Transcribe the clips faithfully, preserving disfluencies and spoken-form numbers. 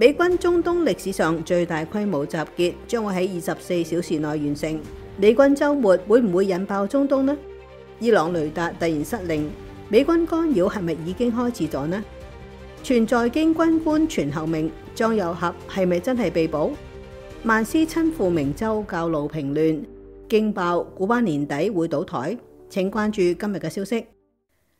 美軍中東歷史上最大規模集結將會喺二十四小時內完成。美軍週末會唔會引爆中東呢？伊朗雷達突然失靈，美軍干擾係咪已經開始咗呢？全在京軍官傳後命，張又俠係咪真係被捕？曼斯親赴明州教路平亂，驚爆古巴年底會倒台。請關注今日嘅消息。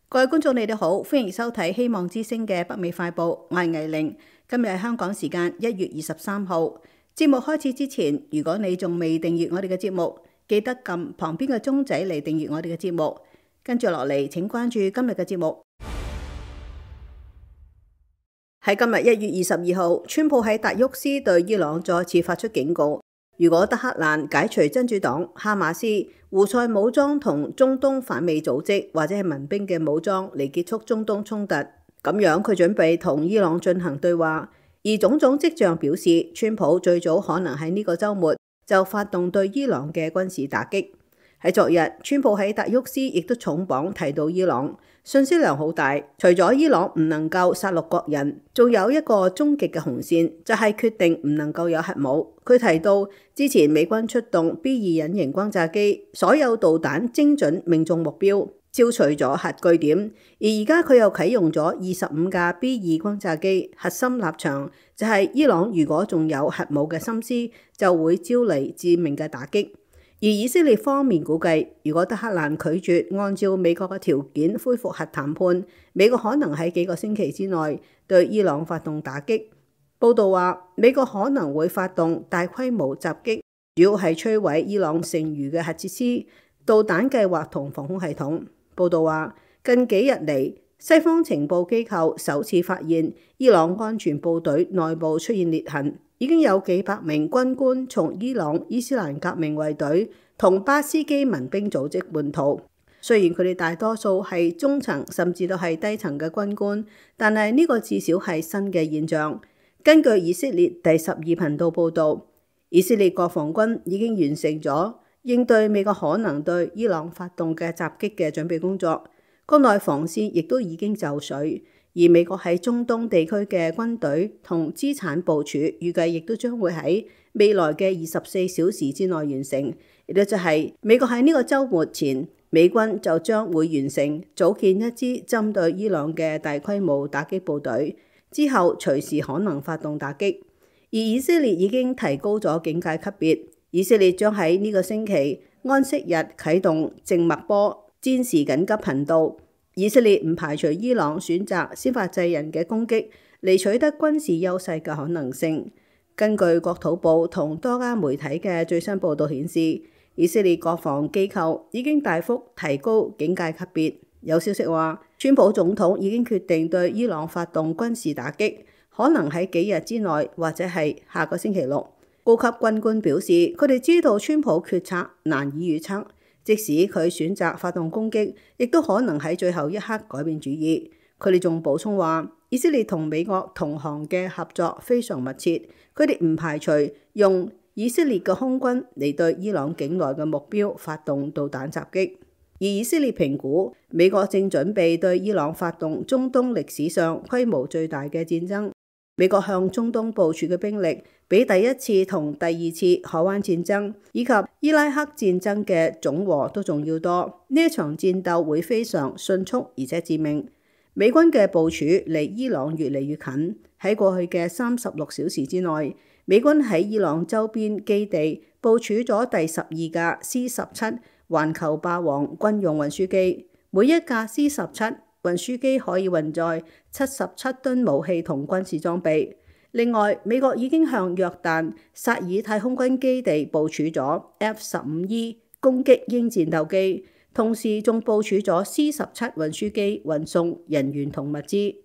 各位觀眾，你哋好，歡迎收睇希望之聲嘅北美快報，我係魏玲。今日係香港時間一月二十三號。節目開始之前，如果你仲未訂閱我哋嘅節目，記得撳旁邊嘅鐘仔嚟訂閱我哋嘅節目。跟住落嚟，請關注今日嘅節目。喺今日一月二十二號，川普喺達沃斯對伊朗再次發出警告：如果德黑蘭解除真主黨、哈馬斯、胡塞武裝同中東反美組織或者係民兵嘅武裝嚟結束中東衝突，咁樣佢準備同伊朗進行對話。而種種跡象表示，川普最早可能喺呢個週末就發動對伊朗嘅軍事打擊。喺昨日，川普喺達沃斯亦都重磅提到伊朗，信息量好大。除咗伊朗唔能夠殺戮國人，仲有一個終極嘅紅線，就係決定唔能夠有核武。佢提到之前美軍出動 B 二隱形轟炸機，所有導彈精準命中目標，消除咗核據點。而而家佢又啟用咗二十五架 B 二轟炸機，核心立場就係伊朗如果仲有核武嘅心思，就會招嚟致命嘅打擊。而以色列方面估計，如果德黑蘭拒絕按照美國嘅條件恢復核談判，美國可能喺幾個星期之內對伊朗發動打擊。報道話，美國可能會發動大規模襲擊，主要係摧毀伊朗剩餘嘅核設施、導彈計劃同防空系統。報道話，近幾日嚟，西方情報機構首次發現伊朗安全部隊內部出現裂痕。已經有幾百名軍官從伊朗伊斯蘭革命衛隊同巴斯基民兵組織叛逃。雖然佢哋大多數係中層甚至都係低層嘅軍官，但係呢個至少係新嘅現象。根據以色列第十二頻道報導，以色列國防軍已經完成咗應對美國可能對伊朗發動嘅襲擊嘅準備工作，國內防線亦都已經就緒。而美國喺中東地區嘅軍隊同資產部署，預計亦都將會喺未來嘅二十四小時之內完成。亦都就係美國喺呢個週末前，美軍就將會完成組建一支針對伊朗嘅大規模打擊部隊，之後隨時可能發動打擊。而以色列已經提高咗警戒級別，以色列將喺呢個星期安息日啟動靜脈波戰時緊急頻道。以色列唔排除伊朗選擇先發制人嘅攻擊嚟取得軍事優勢嘅可能性。根據國土部同多家媒體嘅最新報導顯示，以色列國防機構已經大幅提高警戒級別。有消息話，川普總統已經決定對伊朗發動軍事打擊，可能喺幾日之內或者係下個星期六。高級軍官表示，佢哋知道川普決策難以預測。即使佢選擇發動攻擊，亦都可能喺最後一刻改變主意。佢哋仲補充話，以色列同美國同行嘅合作非常密切，佢哋唔排除用以色列嘅空軍嚟對伊朗境內嘅目標發動導彈襲擊。而以色列評估，美國正準備對伊朗發動中東歷史上規模最大嘅戰爭。美國向中東部署嘅兵力比第一次同第二次海灣戰爭以及伊拉克戰爭嘅總和都仲要多。呢一場戰鬥會非常迅速而且致命。美軍嘅部署離伊朗越嚟越近。喺過去嘅三十六小時之內，美軍喺伊朗周邊基地部署咗第十二架 C 十七環球霸王軍用運輸機，每一架 C 十七運輸機可以運載七十七噸武器同軍事裝備。另外，美國已經向約旦薩爾太空軍基地部署咗 F 十五 E 攻擊鷹戰鬥機，同時仲部署咗 C 十七運輸機運送人員同物資。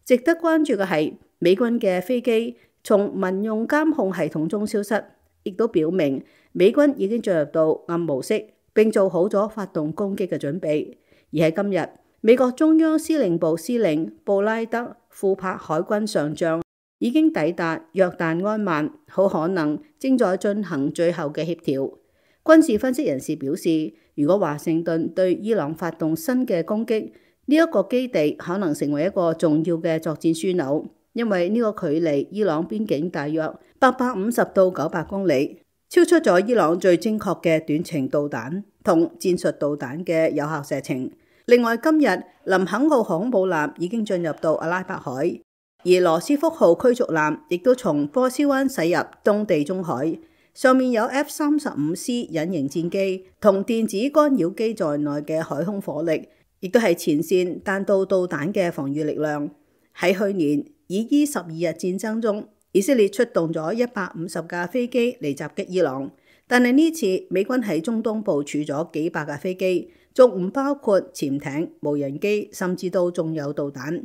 值得關注嘅係，美軍嘅飛機從民用監控系統中消失，亦都表明美軍已經進入到暗模式，並做好咗發動攻擊嘅準備。而喺今日，美國中央司令部司令布拉德庫珀海軍上將已經抵達約旦安曼，好可能正在進行最後嘅協調。軍事分析人士表示，如果華盛頓對伊朗發動新嘅攻擊，呢一個基地可能成為一個重要嘅作戰樞紐。因為呢個距離伊朗邊境大約八百五十到九百公里，超出咗伊朗最精確嘅短程導彈同戰術導彈嘅有效射程。另外，今日林肯號航空母艦已經進入到阿拉伯海，而羅斯福號驅逐艦亦都從波斯灣駛入東地中海，上面有 F 三十五 C 隱形戰機同電子干擾機在內嘅海空火力，亦都係前線彈道導彈嘅防禦力量。喺去年以伊十二日戰爭中，以色列出動咗一百五十架飛機嚟襲擊伊朗，但係呢次美軍喺中東部署咗幾百架飛機，仲唔包括潛艇、無人機，甚至到仲有導彈。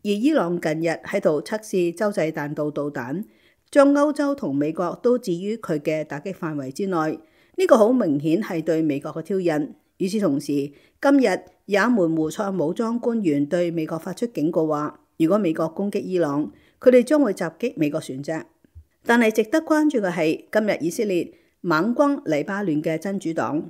而伊朗近日喺度測試洲際彈道導彈，將歐洲同美國都置於佢嘅打擊範圍之內，呢個好明顯係對美國嘅挑釁。與此同時，今日也門胡塞武裝官員對美國發出警告話，如果美國攻擊伊朗，佢哋將會襲擊美國船隻。但係值得關注嘅係，今日以色列猛轟黎巴嫩嘅真主黨，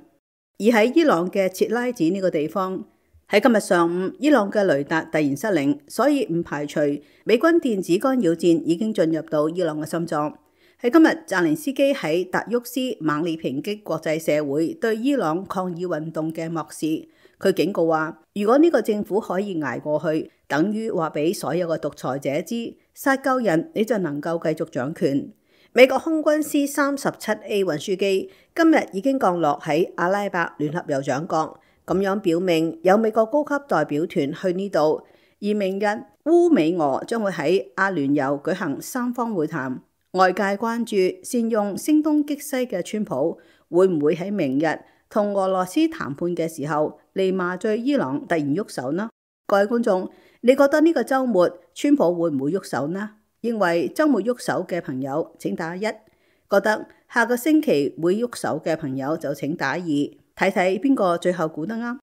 而喺伊朗嘅切拉子呢個地方，喺今日上午，伊朗嘅雷達突然失靈，所以唔排除美軍電子干擾戰已經進入到伊朗嘅心臟。喺今日，澤連斯基喺達沃斯猛烈抨擊國際社會對伊朗抗議運動嘅漠視。佢警告話，如果呢個政府可以捱過去，等於話俾所有嘅獨裁者知，殺夠人你就能夠繼續掌權。美國空軍 C 三十七 A 運輸機今日已經降落喺阿拉伯聯合酋長國，咁樣表明有美國高級代表團去呢度。而明日烏美俄將會喺阿聯酋舉行三方會談，外界關注善用聲東擊西嘅川普會唔會喺明日同俄羅斯談判嘅時候嚟麻醉伊朗突然喐手呢？各位觀眾，你覺得呢個週末川普會唔會喐手呢？認為週末喐手嘅朋友請打一，覺得下個星期會喐手嘅朋友就請打二，睇睇邊個最後估得啱。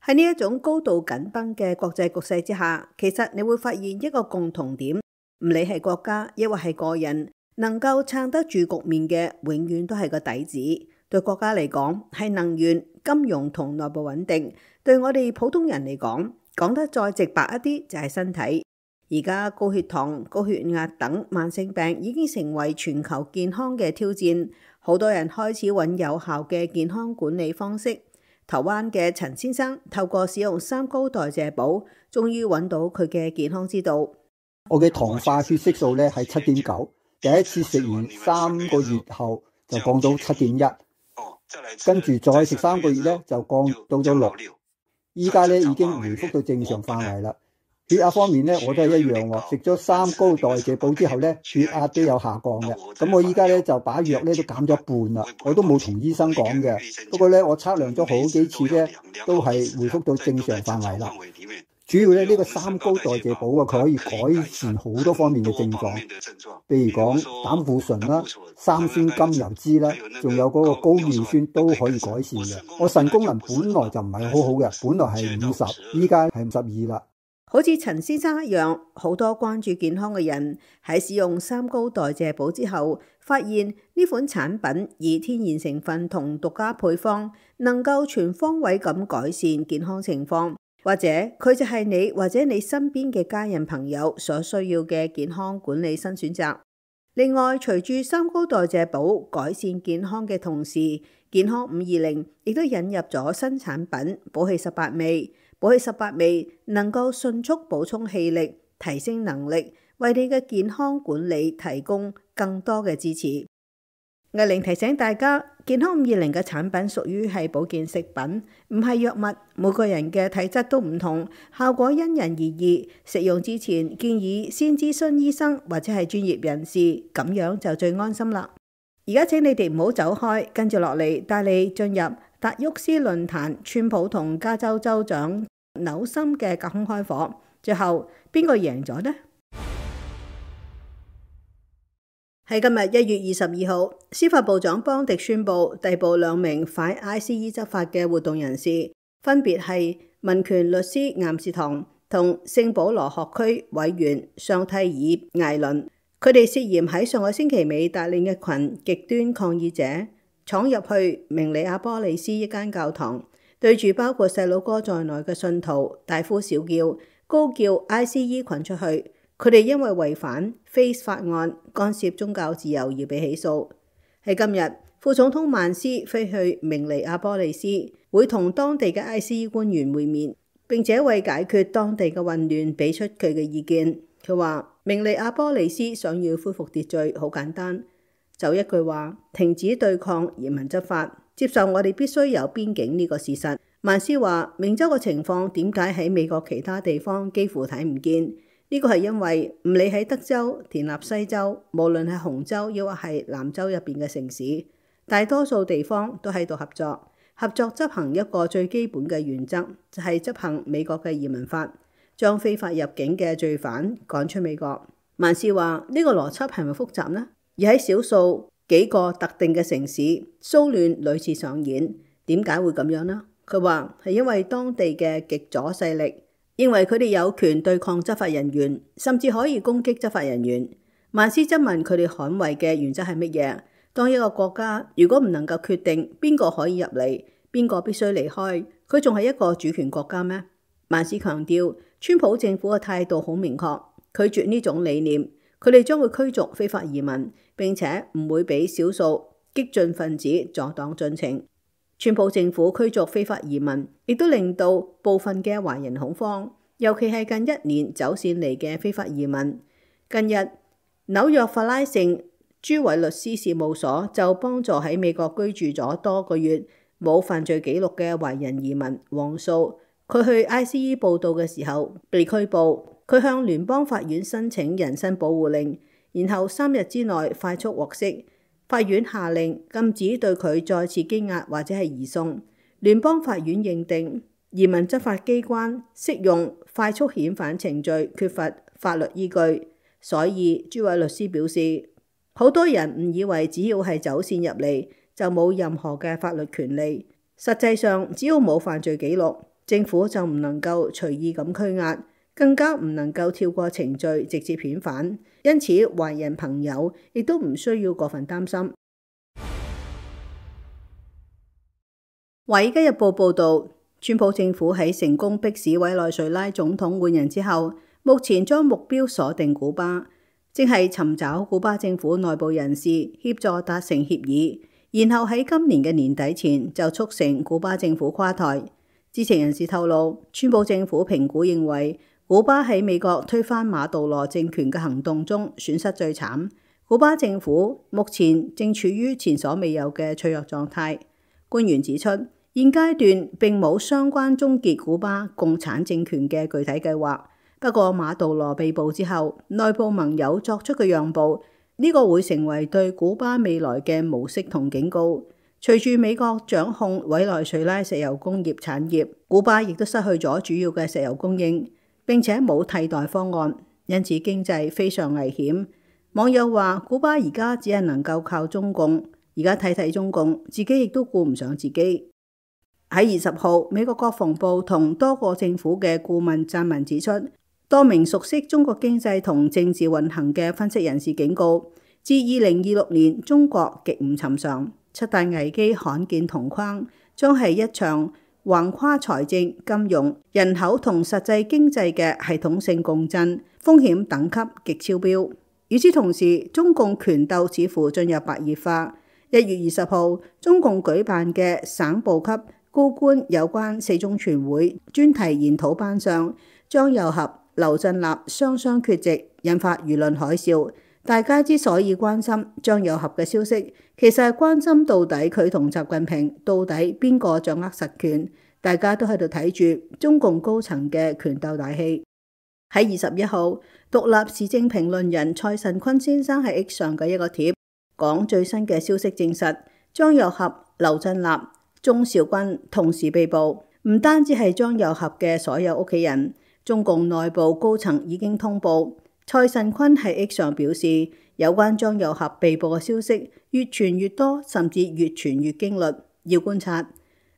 喺呢一種高度緊繃嘅國際局勢之下，其實你會發現一個共同點，唔理係國家抑或係個人，能夠撐得住局面嘅，永遠都係個底子。對國家嚟講係能源、金融同內部穩定；對我哋普通人嚟講，講得再直白一啲就係身體。而家高血糖、高血壓等慢性病已經成為全球健康嘅挑戰，好多人開始揾有效嘅健康管理方式。台灣嘅陳先生透過使用三高代謝寶，終於揾到佢嘅健康之道。我嘅糖化血色素咧係七點九，第一次食完三個月後就降到七點一，跟住再食三個月咧就降到咗六，依家咧已經回復到正常範圍啦。血壓方面咧我都係一樣喎，食咗三高代謝寶之後咧血壓都有下降嘅。咁我依家咧就把藥咧都減咗一半啦，我都冇同醫生講嘅。不過咧我測量咗好幾次咧都係回復到正常範圍啦。主要咧呢個三高代謝寶啊，佢可以改善好多方面嘅症狀，譬如講膽固醇啦、三酸甘油酯啦，仲有嗰個高尿酸都可以改善嘅。我腎功能本來就唔係好好嘅，本來係五十，依家係五十二啦。好似陳先生一樣，好多關注健康嘅人喺使用三高代謝寶之後，發現呢款產品以天然成分同獨家配方，能夠全方位咁改善健康情況，或者佢就係你或者你身邊嘅家人朋友所需要嘅健康管理新選擇。另外，隨住三高代謝寶改善健康嘅同時，健康五二零亦都引入咗新產品寶氣十八味。寶氣十八味能夠迅速補充氣力，提升能力，為你嘅健康管理提供更多嘅支持。藝玲提醒大家，健康五二零嘅產品屬於係保健食品，唔係藥物。每個人嘅體質都唔同，效果因人而異。食用之前建議先諮詢醫生或者係專業人士，咁樣就最安心啦。而家請你哋唔好走開，跟住落嚟帶你進入達沃斯論壇，川普同加州州長紐森嘅隔空開火，最後邊個贏咗呢？喺今日一月二十二號，司法部長邦迪宣布逮捕兩名反 I C E 執法嘅活動人士，分別係民權律師岩士唐同聖保羅學區委員尚蒂爾艾倫。佢哋涉嫌喺上個星期尾帶領一群極端抗議者闖入去明尼阿波利斯一間教堂，對住包括細佬哥在內嘅信徒大呼小叫，高叫 I C E 群出去，佢哋因為違反 F A C E 法案干涉宗教自由而被起訴。喺今日，副總統曼斯飛去明尼阿波利斯，會同當地嘅 I C E 官員會面，並且為解決當地嘅混亂俾出佢嘅意見。佢話明尼阿波利斯想要恢復秩序好簡單，就一句話：停止對抗移民執法，接受我哋必須有邊境呢個事實。曼斯話明州嘅情況點解喺美國其他地方幾乎睇唔見？呢個係因為唔理喺德州、田納西州，無論係紅州抑或係南州入邊嘅城市，大多數地方都喺度合作，合作執行一個最基本嘅原則，就係執行美國嘅移民法，將非法入境嘅罪犯趕出美國。曼斯話呢個邏輯係咪複雜呢？而喺少數幾個特定嘅城市，騷亂屢次上演，點解會咁樣呢？佢話係因為當地嘅極左勢力認為佢哋有權對抗執法人員，甚至可以攻擊執法人員。曼斯質問佢哋捍衛嘅原則係乜嘢？當一個國家如果唔能夠決定邊個可以入嚟，邊個必須離開，佢仲係一個主權國家咩？曼斯強調，川普政府嘅態度好明確，拒絕呢種理念。佢哋將會驅逐非法移民，並且唔會俾少數激進分子阻擋進程。川普政府驅逐非法移民，亦都令到部分嘅華人恐慌，尤其係近一年走線嚟嘅非法移民。近日，紐約法拉盛朱偉律師事務所就幫助喺美國居住咗多個月冇犯罪記錄嘅華人移民黃素，佢去 I C E 報到嘅時候被拘捕，佢向聯邦法院申請人身保護令，然後三日之內快速獲釋。法院下令禁止對佢再次羈押或者係移送。聯邦法院認定移民執法機關適用快速遣返程序缺乏法律依據，所以朱偉律師表示，好多人誤以為只要係走線入嚟就冇任何嘅法律權利，實際上只要冇犯罪記錄，政府就唔能夠隨意咁拘押，更加唔能夠跳過程序直接遣返。因此華人朋友亦都唔需要過分擔心。華爾街日報報導，川普政府喺成功迫使委內瑞拉總統換人之後，目前將目標鎖定古巴，正係尋找古巴政府內部人士協助達成協議，然後喺今年嘅年底前就促成古巴政府垮台。知情人士透露，川普政府評估認為，古巴喺美國推翻馬杜羅政權嘅行動中損失最慘，古巴政府目前正處於前所未有嘅脆弱狀態。官員指出，現階段並冇相關終結古巴共產政權嘅具體計劃。不過馬杜羅被捕之後，內部盟友作出嘅讓步，呢個會成為對古巴未來嘅模式同警告。隨住美國掌控委內瑞拉石油工業產業，古巴亦都失去咗主要嘅石油供應，並且冇替代方案，因此經濟非常危險。網友話，古巴而家只係能夠靠中共，而家睇睇中共，自己亦都顧唔上自己。喺二十號，美國國防部同多個政府嘅顧問撰文指出，多名熟悉中國經濟同政治運行嘅分析人士警告，自二零二六年中國極唔尋常，七大危機罕見同框，將係一場橫跨財政、金融、人口同實際經濟嘅系統性共振，風險等級極超標。與此同時，中共權鬥似乎進入白熱化。一月二十號，中共舉辦嘅省部級高官有關四中全會專題研討班上，張又俠、劉振立雙雙缺席，引發輿論海嘯。大家之所以關心張又俠嘅消息，其實係關心到底佢同習近平到底邊個掌握實權。大家都喺度睇住中共高層嘅權鬥大戲。喺二十一號，獨立時政評論人蔡慎坤先生喺 X 上嘅一個貼，講最新嘅消息證實，張又俠、劉振立、鍾兆軍同時被捕。唔單止係張又俠嘅所有屋企人，中共內部高層已經通報。蔡慎坤喺 X 上表示，有關張又俠被捕嘅消息越傳越多，甚至越傳越驚慄，要觀察。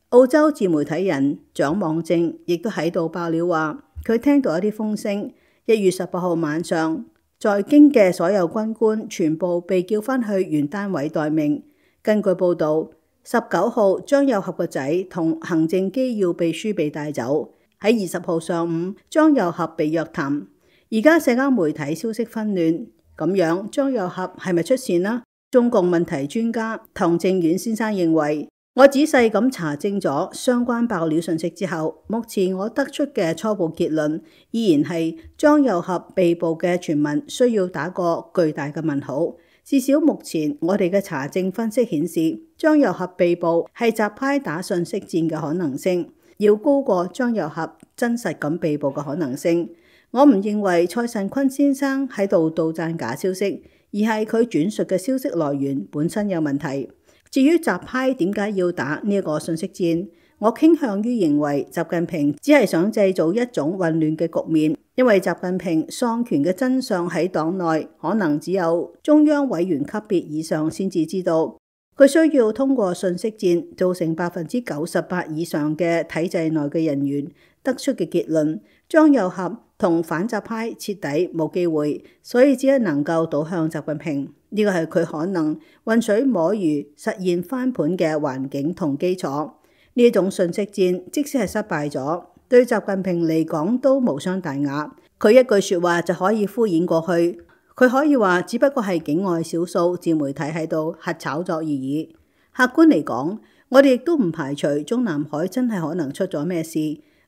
澳洲自媒體人蔣望正亦都喺度爆料話，佢聽到一啲風聲，一月十八號晚上，在京嘅所有軍官全部被叫返去原單位待命。根據報導，十九號張又俠個仔同行政機要秘書被帶走，喺二十號上午，張又俠被約談。而家社交媒體消息紛亂，咁樣張又俠係咪出事呢？中共問題專家唐正遠先生認為，我仔細咁查證咗相關爆料信息之後，目前我得出嘅初步結論依然係張又俠被捕嘅傳聞需要打個巨大嘅問號。至少目前我哋嘅查證分析顯示，張又俠被捕係習派打信息戰嘅可能性，要高過張又俠真實咁被捕嘅可能性。我唔認為蔡慎坤先生喺度杜撰假消息，而係佢轉述嘅消息來源本身有問題。至於習派點解要打呢一個信息戰，我傾向於認為習近平只係想製造一種混亂嘅局面，因為習近平喪權嘅真相喺黨內可能只有中央委員級別以上先至知道，佢需要通過信息戰造成百分之九十八以上嘅體制內嘅人員得出嘅結論，張又俠同反習派徹底冇機會，所以只係能夠倒向習近平。呢個係佢可能渾水摸魚實現翻盤嘅環境同基礎。呢一種信息戰即使係失敗咗，對習近平嚟講都無傷大雅。佢一句說話就可以敷衍過去，佢可以話只不過係境外少數自媒體喺度核炒作而已。客觀嚟講，我哋亦都唔排除中南海真係可能出咗咩事，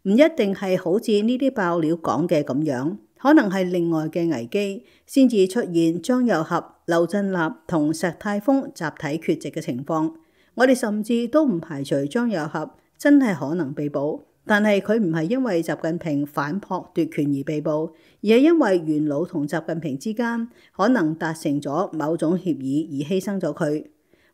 唔一定係好似呢啲爆料講嘅咁樣，可能係另外嘅危機先至出現張又俠、劉振立同石泰峰集體缺席嘅情況。我哋甚至都唔排除張又俠真係可能被捕，但係佢唔係因為習近平反撲奪權而被捕，而係因為元老同習近平之間可能達成咗某種協議而犧牲咗佢。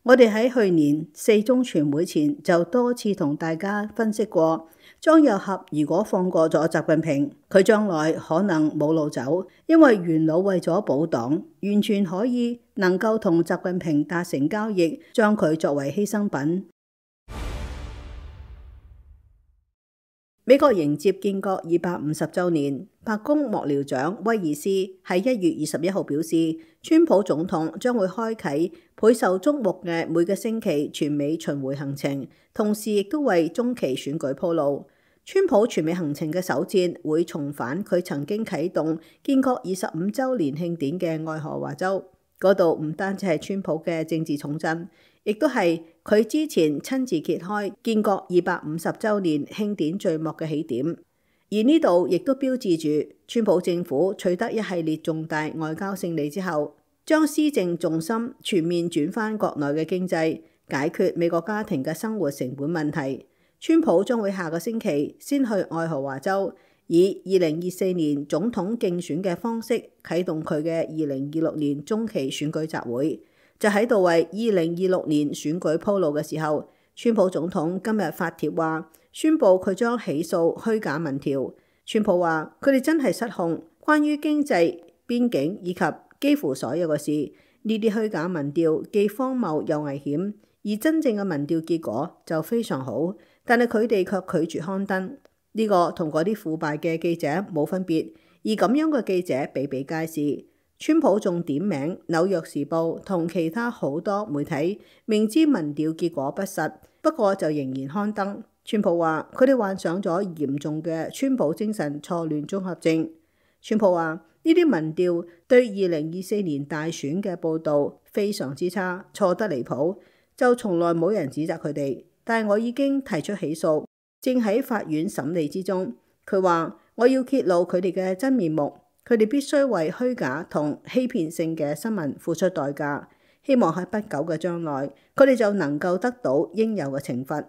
我哋喺去年四中全會前就多次同大家分析過，張又俠如果放過咗習近平，佢將來可能冇路走，因為元老為咗保黨，完全可以能夠同習近平達成交易，將佢作為犧牲品。美國迎接建國二百五十週年，白宮幕僚長威爾斯喺一月二十一號表示，川普總統將會開啟倍受矚目嘅每個星期全美巡迴行程，同時亦都為中期選舉鋪路。川普全美行程嘅首戰會重返佢曾經啟動建國二十五週年慶典嘅愛荷華州，嗰度唔單止係川普嘅政治重鎮，亦都係佢之前親自揭開建國二百五十週年慶典序幕嘅起點，而呢度亦都標誌住川普政府取得一系列重大外交勝利之後，將施政重心全面轉返國內嘅經濟，解決美國家庭嘅生活成本問題。川普將會下個星期先去愛荷華州，以二零二四年總統競選嘅方式啟動佢嘅二零二六年中期選舉集會。就喺度為二零二六年選舉鋪路嘅時候，川普總統今日發帖話，宣布佢將起訴虛假民調。川普話佢哋真係失控，關於經濟、邊境以及幾乎所有嘅事，呢啲虛假民調既荒謬又危險，而真正嘅民調結果就非常好，但係佢哋卻拒絕刊登。呢個同嗰啲腐敗嘅記者冇分別，而咁樣嘅記者比比皆是。川普仲點名紐約時報同其他好多媒體，明知民調結果不實，不過就仍然刊登。川普話佢哋患上咗嚴重嘅川普精神錯亂綜合症。川普話呢啲民調對二零二四年大選嘅報導非常之差，錯得離譜，就從來冇人指責佢哋。但係我已經提出起訴，正喺法院審理之中。佢話我要揭露佢哋嘅真面目。佢哋必須為虛假同欺騙性嘅新聞付出代價，希望喺不久嘅將來，佢哋就能夠得到應有嘅懲罰。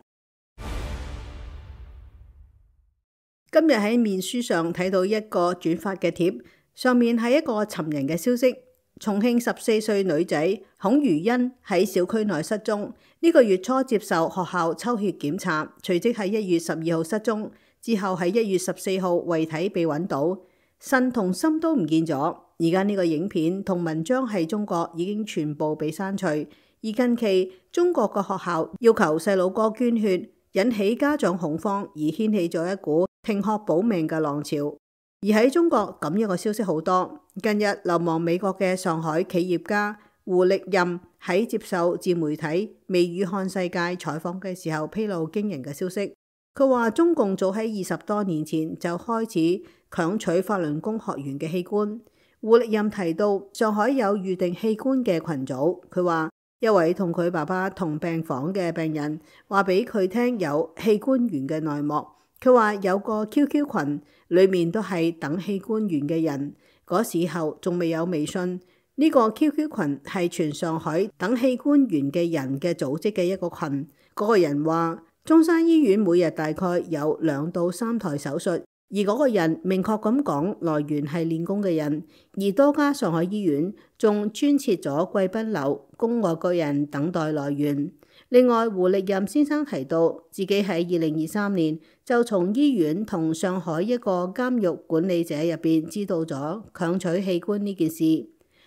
今日喺面書上睇到一個轉發嘅貼，上面係一個尋人嘅消息。重慶十四歲女仔孔如欣喺小區內失蹤，呢個月初接受學校抽血檢查，隨即喺一月十二號失蹤，之後喺一月十四號遺體被揾到。腎同心都唔見咗，而家呢個影片同文章喺中國已經全部被刪除。而近期中國個學校要求細佬哥捐血，引起家長恐慌，而掀起咗一股停學保命嘅浪潮。而喺中國咁樣嘅消息好多。近日流亡美國嘅上海企業家胡力任喺接受自媒體《微語看世界》採訪嘅時候，披露驚人嘅消息。佢話中共早喺二十多年前就開始強取法輪功學員嘅器官。胡力任提到上海有預定器官嘅群組，佢話一位同佢爸爸同病房嘅病人話俾佢聽有器官源嘅內幕。佢話有個 Q Q 群，裏面都係等器官源嘅人，嗰時候仲未有微信。呢個 Q Q 群係全上海等器官源嘅人嘅組織嘅一個群。嗰個人話中山醫院每日大概有兩到三台手術，而嗰個人明確咁講來源係練功嘅人，而多家上海醫院仲專設咗貴賓樓供外國人等待來源。另外，胡力任先生提到自己喺二零二三年就從醫院同上海一個監獄管理者入邊知道咗強取器官呢件事。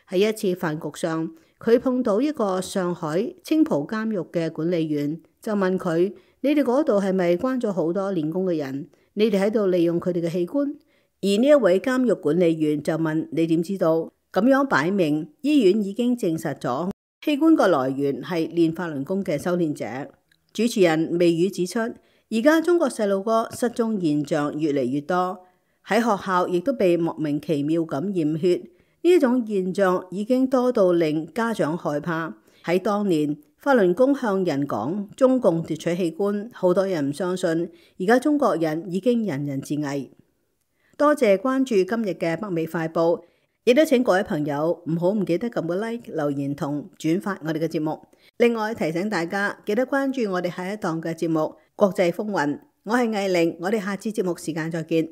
喺一次飯局上，佢碰到一個上海青浦監獄嘅管理員，就問佢：你哋嗰度係咪關咗好多練功嘅人？你哋喺度利用佢哋嘅器官？而呢一位監獄管理員就問：你點知道？咁樣擺明醫院已經證實咗器官個來源係練法輪功嘅修煉者。主持人微語指出，而家中國細路哥失蹤現象越嚟越多，喺學校亦都被莫名其妙咁驗血。呢一種現象已經多到令家長害怕。喺當年法輪功向人講中共奪取器官，好多人唔相信。而家中國人已經人人自危。多謝關注今日嘅北美快報，亦都請各位朋友唔好唔記得撳個 like、留言同轉發我哋嘅節目。另外提醒大家記得關注我哋下一檔嘅節目《國際風雲》。我係藝玲，我哋下次節目時間再見。